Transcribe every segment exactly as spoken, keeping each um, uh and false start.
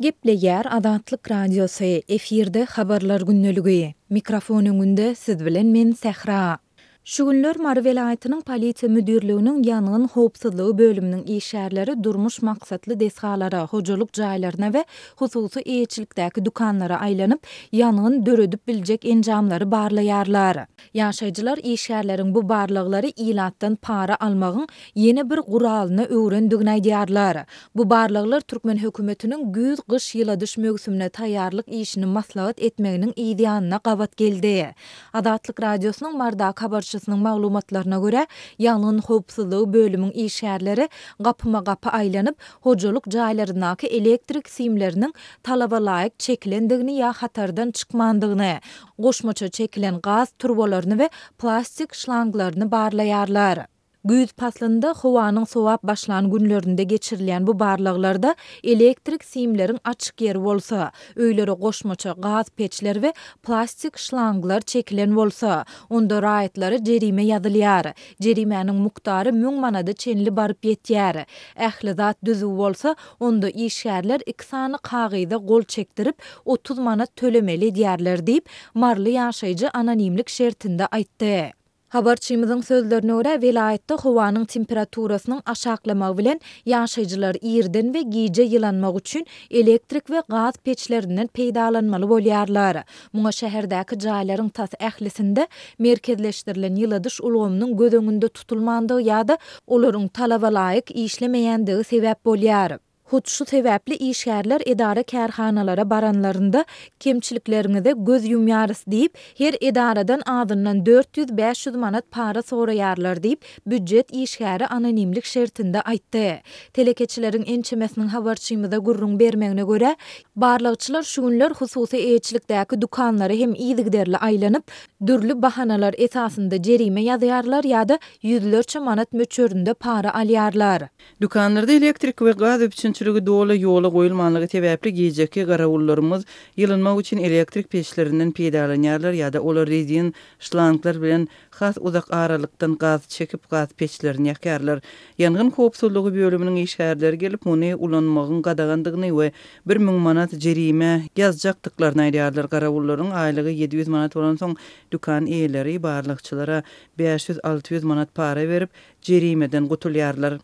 Gepleýär Azatlyk Radiosy, efirde Habarlar gündeligi. Mikrofon öňünde siz bilen men Sähra. Şu günler Mary welaýatynyň Polisiýa müdirliginiň ýangyn howpsuzlygy bölüminiň işgärleri durmuş maksatly desgalara, hojalyk jaýlaryna we hususy eýeçilikdäki dükanlara aýlanyp, ýangyn döredip biljek enjamlary barlaýarlar. Ýaşaýjylar işgärleriň bu barlaglary ilatdan para almagyň ýene bir guralyna öwrendigini aýdýarlar. Bu barlaglar türkmen hökümetiniň güýz-gyş ýyladyş möwsümine taýýarlyk işini maslahat etmeginiň yzýanyna gabat geldi. Azatlyk Radiosynyň Marydaky habarçysynyň maglumatlaryna görä, ýangyn howpsuzlygy bölümiň işgärleri gapyma-gapy aýlanyp, hojalyk jaýlaryndaky elektrik simleriniň talaba laýyk çekilendigini ýa hatardan çykmandygyny, goşmaça çekilen gaz turbalaryny we plastik şlanglaryny barlaýarlar. Güýz paslynda howanyň sowap başlan günlerinde geçirilýän bu barlaglarda elektrik simleriň açyk ýeri bolsa, öýlere goşmaça gaz peçler we plastik şlanglar çekilen bolsa, onda raýatlara jerime ýazylýar. Jerimäniň mukdary müň manada çenli baryp ýetýär. Ähli zat düzüw bolsa, onda işgärler iki sany kagyza gol çekdirip, otuz manat tölemeli edýärler diýip, maryly ýaşaýjy anonimlik şertinde aýtdy. Habarçymyzyň sözlerine görä, welaýatda howanyň temperaturasynyň aşaklamagy bilen ýaşaýjylar irden we gije ýylanmak üçin elektrik we gaz peçlerinden peýdalanmaly bolýarlar. Muňa şäherdäki jaýlaryň tas ählisinde merkezleşdirilen ýyladyş ulgamynyň göz öňünde tutulmandygy ýa-da olaryň talaba laýyk işlemeýändigi sebäp bolýar. Hut şu sebäpli işgärler edara-kärhanalara baranlarynda kemçilikleriňize göz ýumýarys diýip, her edaradan azyndan dört ýüz-bäş ýüz manat para soraýarlar diýip, býujet işgäri anonimlik şertinde aýtdy. Telekeçileriň ençemesiniň habarçymyza gürrüň bermegine görä, barlagçylar şu günler hususy eýeçilikdäki dükanlara hem yzygiderli aýlanyp, dürli bahanalar esasynda jerime ýazýarlar ýa-da ýüzlerçe manat möçberinde para alýarlar. Dükanlarda elektrik we gaz üpjünçiligi doly ýola goýulmanlygy sebäpli gijeki garawullarymyz ýylynmak üçin elektrik peçlerinden peýdalanýarlar ýa-da olar rezin şlanglar bilen has uzak aralykdan gaz çekip gaz peçlerini ýakýarlar. Ýangyn howpsuzlygy bölüminiň işgärleri gelip muny ulanmagyň gadagandygyny we bir müň manat jerime ýazjakdyklaryny aýdýarlar. Garawullaryň aýlygy ýedi ýüz manat bolansoň dükan eýeleri barlagçylara bäş ýüz alty ýüz manat para berip jerimeden gutulýarlar.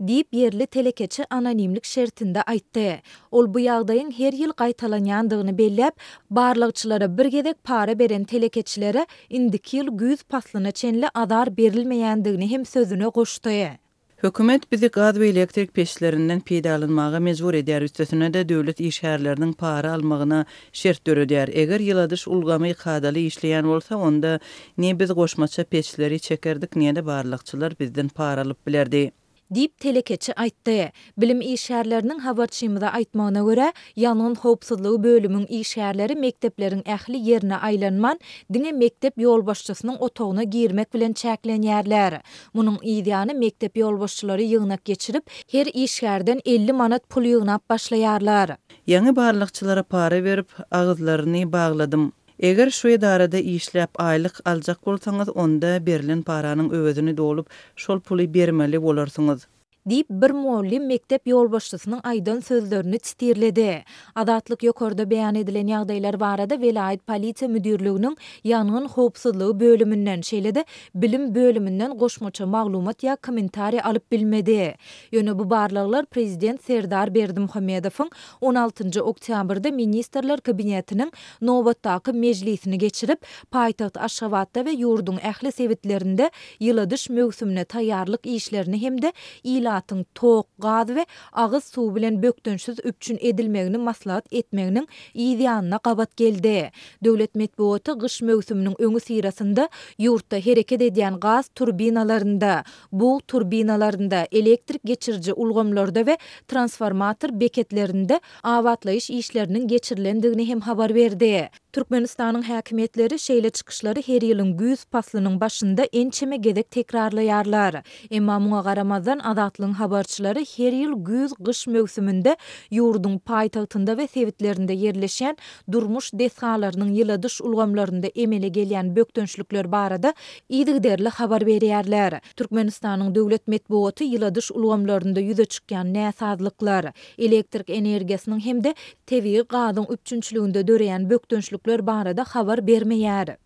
Diýip, ýerli telekeçi anonimlik şertinde aýtdy. Ol bu ýagdaýyň her ýyl gaýtalanýandygyny belläp, barlagçylara bir gezek para beren telekeçilere indiki ýyl güýz paslyna çenli azar berilmeýändigini hem sözüne goşdy. Hökümet bizi gaz we elektrik peçlerinden peýdalanmaga mejbur edýär, üstesine-de döwlet işgärleriniň para almagyna şert döredýär. Eger ýyladyş ulgamy kadaly işleýän bolsa, onda ne biz goşmaça peçleri çekerdik, ne-de barlagçylar bizden para alyp bilerdi. Diýip, telekeçi aýtdy. Bilim işgärleriniň habarçymyza aýtmagyna görä, ýangyn howpsuzlygy bölümiň işgärleri mekdepleriň ähli ýerine aýlanman, diňe mekdep ýolbaşçysynyň otagyna girmek bilen çäklenýärler. Munuň yzýany mekdep ýolbaşçylary ýygnak geçirip, her işgärden elli manat pul ýygnap başlaýarlar. Ýaňy barlagçylara para berip, agyzlaryny bagladym. Eger şu edarada işläp aýlyk aljak bolsaňyz, onda berlen paranyň öwezini dolup, şol puly bermeli bolarsyňyz. Diýip, bir mugallym mekdep ýolbaşçysynyň aýdan sözlerini titirledi. Azatlyk ýokarda beýan edilen ýagdaýlar barada welaýat polisiýa müdirliginiň ýangyn howpsuzlygy bölüminden, şeýle-de bilim bölüminden goşmaça maglumat ýa kommentariý alyp bilmedi. Ýöne bu barlaglar prezident Serdar Berdimuhamedowyň on altynjy oktýabrda Ministrler Kabinetiniň nobatdaky mejlisini geçirip, paýtagt Aşgabatda we ýurduň ähli sebitlerinde ýyladyş möwsümine taýýarlyk işlerini hem-de ilatyň tok, gaz we agyz suwy bilen bökdençsiz üpjün edilmegini maslahat etmeginiň yz ýanyna gabat geldi. Döwlet metbugaty gyş möwsüminiň öňüsyrasynda ýurtda hereket edýän gaz turbinalarynda, bug turbinalarynda, elektrik geçiriji ulgamlarda we transformator beketlerinde abatlaýyş işleriniň geçirilendigini hem habar berdi. Türkmenistanyň häkimiýetleri şeýle çykyşlary her ýylyň güýz paslynyň başynda ençeme gezek tekrarlaýarlar. Emma muňa garamazdan Azatlygyň Azatlygyň habarçylary her ýyl güýz-gyş möwsüminde ýurduň paýtagtynda we sebitlerinde ýerleşýän durmuş desgalarynyň ýyladyş ulgamlarynda emele gelýän bökdençlikler barada yzygiderli habar berýärler. Türkmenistanyň döwlet metbugaty ýyladyş ulgamlarynda ýüze çykýan näsazlyklar, elektrik energiýasynyň hem-de tebigy gazyň üpjünçiliginde döreýän bökdençlikler barada habar bermeýär.